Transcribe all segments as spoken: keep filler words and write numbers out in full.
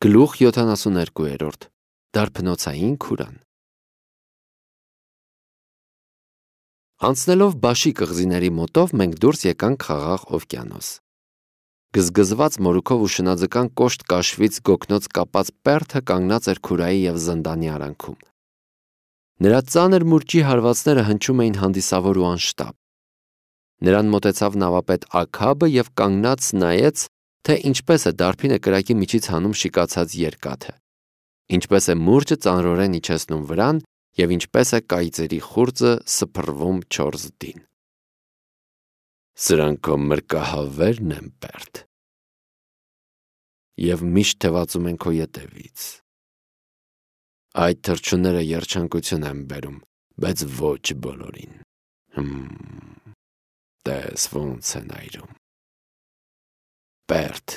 Գլուխ յոթանասուներկու Դարբնոցային քուրան։ Անցնելով Բաշի կղզիների մոտով մենք դուրս եկանք Խաղաղ օվկիանոս։ Գզգզված մորուքով ու շնաձկան կոշտ կաշվից գոգնոց կապած Պերթը կանգնած էր քուրայի և զնդանի արանքում։ Նրա ծանր մուրճի հարվածները հնչում էին հանդիսավոր ու անշտապ։ Նրան մոտեցավ նավապետ Աքաբը և կանգնած նայեց, թե ինչպես է դարբինը կրակի միջից հանում շիկացած երկաթը, ինչպես է մուրճը ծանրորեն իջեցնում վրան և ինչպես է կայծերի խուրձը սփռվում չորս դին։ Սրանք քո մրկահավերն են, Պերթ, և միշտ թևածում են քո ետևից։ Այդ թռչունները երջանկություն են բերում, բայց ոչ բոլորին։ Հմ, տես ոնց են այրում։ Պերթ,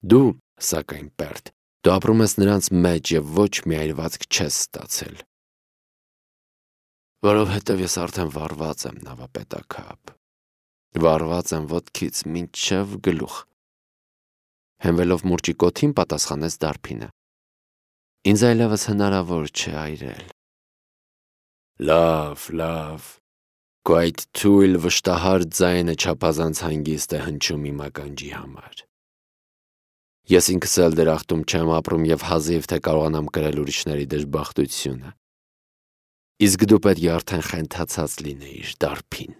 դու, սակայն Պերթ, դու ապրում ես նրանց մեջ և ոչ մի այրվածք չես ստացել։ Որովհետև ես արդեն վառված եմ, նավապետ Աքաբ, վառված եմ ոտքից մինչև գլուխ։ Հենվելով մուրճի կոթին պատասխանեց դարբինը։ Ինձ այլևս հնարավոր չէ այրել։ Լավ, լավ, քո այդ թույլ վշտահար ձայնը չափազանց հանգիստ է հնչում իմ ականջի համար։ Ես ինքս էլ դրախտում չեմ ապրում և հազիվ թե կարողանամ կրել ուրիշների դժբախտությունը։ Իսկ դու պետք է արդեն խենթացած լինեիր, դարբին։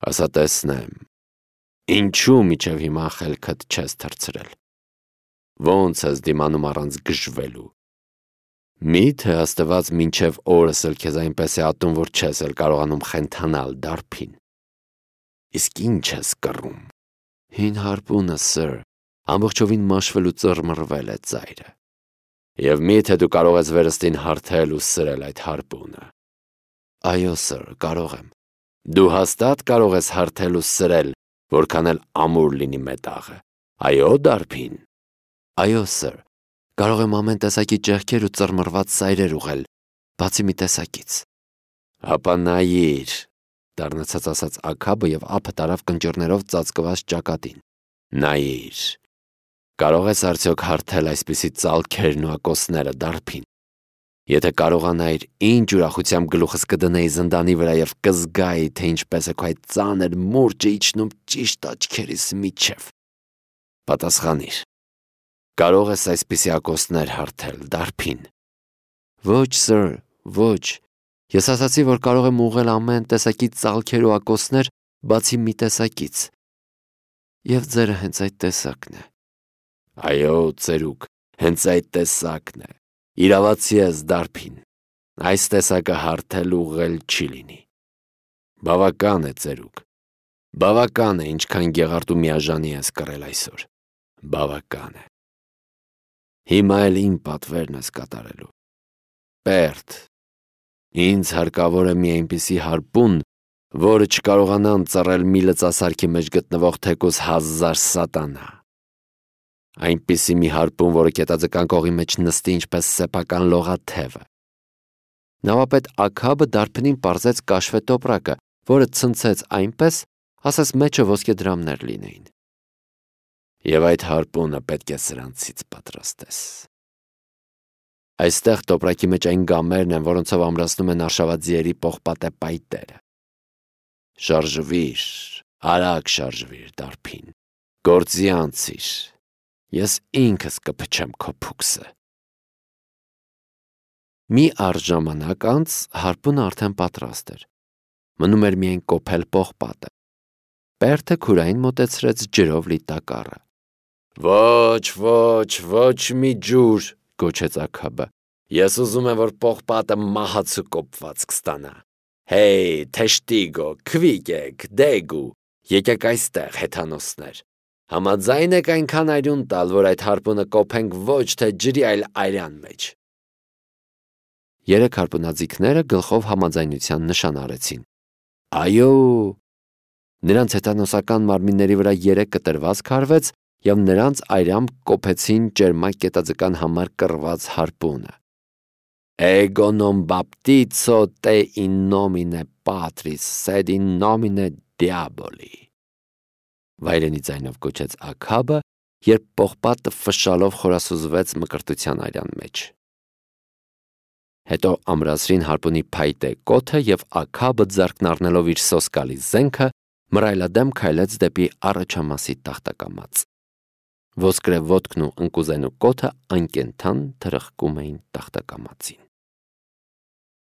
Ասա տեսնեմ, ինչու մինչև հիմա խելքդ չես թռցրել։ Ոնց ես դիմանում առանց գժվելու։ Մի՞թե Աստված մինչև օրս էլ քեզ այնպես է ատում, որ չես էլ կարողանում խենթանալ, դարբին։ Իսկ ինչ ես կռում։ Հին հարպունը, սըր, ամբողջովին մաշվել ու ծռմռվել է ծայրը։ Եվ մի՞թե դու կարող ես վերստին հարթել ու սրել այդ հարպունը։ Այո, սըր, կարող եմ։ Դու հաստատ կարող ես հարթել ու սրել, որքան էլ ամուր լինի մետաղը։ Այո, դարբին։ Այո, սըր, կարող եմ ամեն տեսակի ճեղքեր ու ծռմռված սայրեր ուղղել, բացի մի տեսակից։ Հապա նայիր, դառնացած ասաց Աքաբը և ափը տարավ կնճիռներով ծածկված ճակատին։ Նայիր, կարող ես արդյոք հարթել այսպիսի ծալքերն ու ակոսները, դարբին։ Եթե կարողանայիր, ինչ ուրախությամբ գլուխս կդնեի զնդանի վրա և կզգայի, թե ինչպես է քո այդ ծանր մուրճը իջնում ճիշտ աչքերիս միջև։ Պատասխանիր, կարող ես այսպիսի ակոսներ հարթել, դարբին։ Ոչ, սըր, ոչ։ Ես ասացի, որ կարող եմ ուղղել ամեն տեսակի ծալքեր ու ակոսներ, բացի մի տեսակից։ Եվ ձերը հենց այդ տեսակն է։ Այո, ծերուկ, հենց այդ տեսակն է։ Իրավացի ես, դարբին։ Այս տեսակը հարթել ուղղել չի լինի։ Բավական է, ծերուկ։ Բավական է, ինչքան գեղարդ ու միաժանի ես կռել այսօր։ Բավական է։ Հիմա էլ իմ պատվերն ես կատարելու։ Պերթ, ինձ հարկավոր է մի այնպիսի հարպուն, որը չկարողանան ծռել մի լծասարքի մեջ գտնվող թեկուզ հազար սատանա։ Այնպիսի մի հարպուն, որը կետաձկան կողի մեջ նստի ինչպես սեփական լողաթևը։ Նավապետ Աքաբը դարբնին պարզեց կաշվե տոպրակը, որը ցնցեց այնպես, ասես մեջը ոսկեդրամներ լինեին։ Եվ այդ հարպունը պետք է սրանցից պատրաստես։ Այստեղ տոպրակի մեջ այն գամերն են, որոնցով ամրացնում են արշաված ձիերի պողպատե պայտերը։ Շարժվիր, արագ շարժվիր, դարբին, գործի անցիր, ես ինքս կփչեմ քո փուքսը։ Մի առ ժամանակ անց հարպունը արդեն պատրաստ էր։ Մնում էր միայն կոփել պողպատը։ Պերթը քուրային մոտեցրեց ջրով լի տակառը։ Ոչ, ոչ, ոչ մի ջուր, գոչեց Աքաբը։ Ես ուզում եմ, որ պողպատը մահացու կոփված կստանա։ Հեյ, թեշտիգո, քվիկեք, դեգու, եկեք այստեղ, հեթանոսներ։ Համաձայն եք այնքան այրուն տալ, որ այդ հարպունը կոփենք ոչ թե ջրի, այլ այրան մեջ։ Երեք հարպունաձիգները գլխով համաձայնության նշան արեցին։ Այո։ Նրանց հեթանոսական մարմինների վրա երեք կտրվածք հարվեց և նրանց այրամբ կոփեցին ճերմակ կետաձկան համար կռված հարպունը։ Ego non baptizo te in nomine Patris, sed in nomine Diaboli։ Վայրենի ձայնով կոչեց Աքաբը երբ պողպատը ֆշշալով խորասուզվեց մկրտության արյան մեջ։ Հետո ամրացրին հարպունի փայտե կոթը և աքաբը ձեռքն առնելով իր սոսկալի զենքը մռայլադեմ քայլեց դեպի առաջամասի տախտակամած։ Ոսկրե ոտքն ու ընկուզենու կոթը անկենդան թրխկում էին տախտակամածին։